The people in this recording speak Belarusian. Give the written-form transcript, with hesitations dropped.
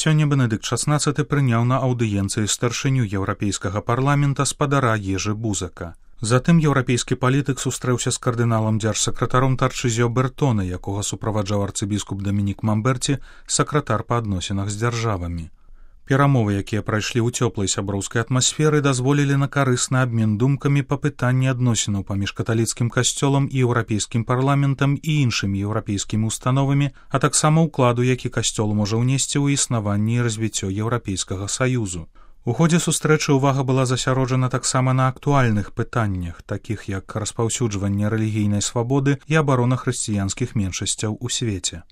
Сёння Бенедыкт XVI прыняў на аўдыенцыі старшыню Еўрапейскага парламента спадара Ежы Бузака. Затым еўрапейскі палітык сустрэўся з кардыналам дзяржсакратаром Тарчызіо Бертоне, якога суправаджаў арцыбіскуп Дамінік Мамберці, сакратар па адносінах з дзяржавамі. Перамовы, якія прайшлі ў цёплай сяброўскай атмасферы, дазволілі на карысны абмен думкамі па пытанні адносінаў паміж каталіцкім касцёлам і еўрапейскім парламентам і іншымі еўрапейскімі установамі, а таксама ўкладу, які касцёл можа ўнесці ў існаванне і развіццё Еўрапейскага саюзу. У ходзе сустрэчы ўвага была засяроджана таксама на актуальных пытаннях, такіх як распаўсюджванне рэлігійнай свабоды і абарона хрысціянскіх меншасцяў у свеце.